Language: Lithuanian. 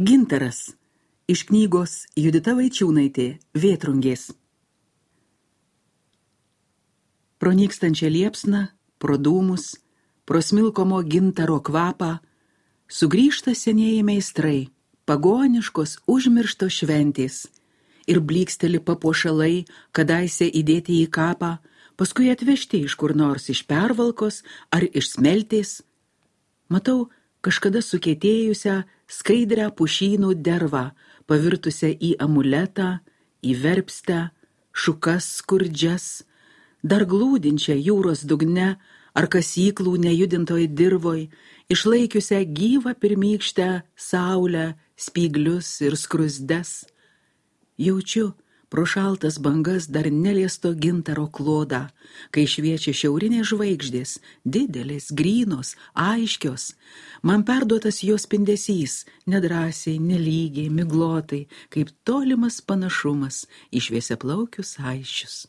Gintaras. Iš knygos Judita Vaičiūnaitė Vėtrungės. Pro nykstančią liepsną, pro dūmus, pro smilkomo gintaro kvapą, sugrįžta senieji meistrai, pagoniškos užmirštos šventės, ir blyksteli papuošalai, kadaise įdėti į kapą, paskui atvežti iš kur nors iš pervalkos ar iš smeltės. Matau kažkada sukietėjusią skaidrią pušynų dervą, pavirtusią į amuletą, į verpstę, šukas skurdžias, dar glūdinčią jūros dugne ar kasyklų nejudintoj dirvoj, išlaikiusią gyvą pirmykštę saulę, spyglius ir skruzdes. Jaučiu pro šaltas bangas dar neliesto gintaro klodą, kai šviečia šiaurinės žvaigždės, didelės, grynos, aiškios. Man perduotas jos spindesys, nedrąsiai, nelygiai, miglotai, kaip tolimas panašumas į šviesiaplaukius aisčius.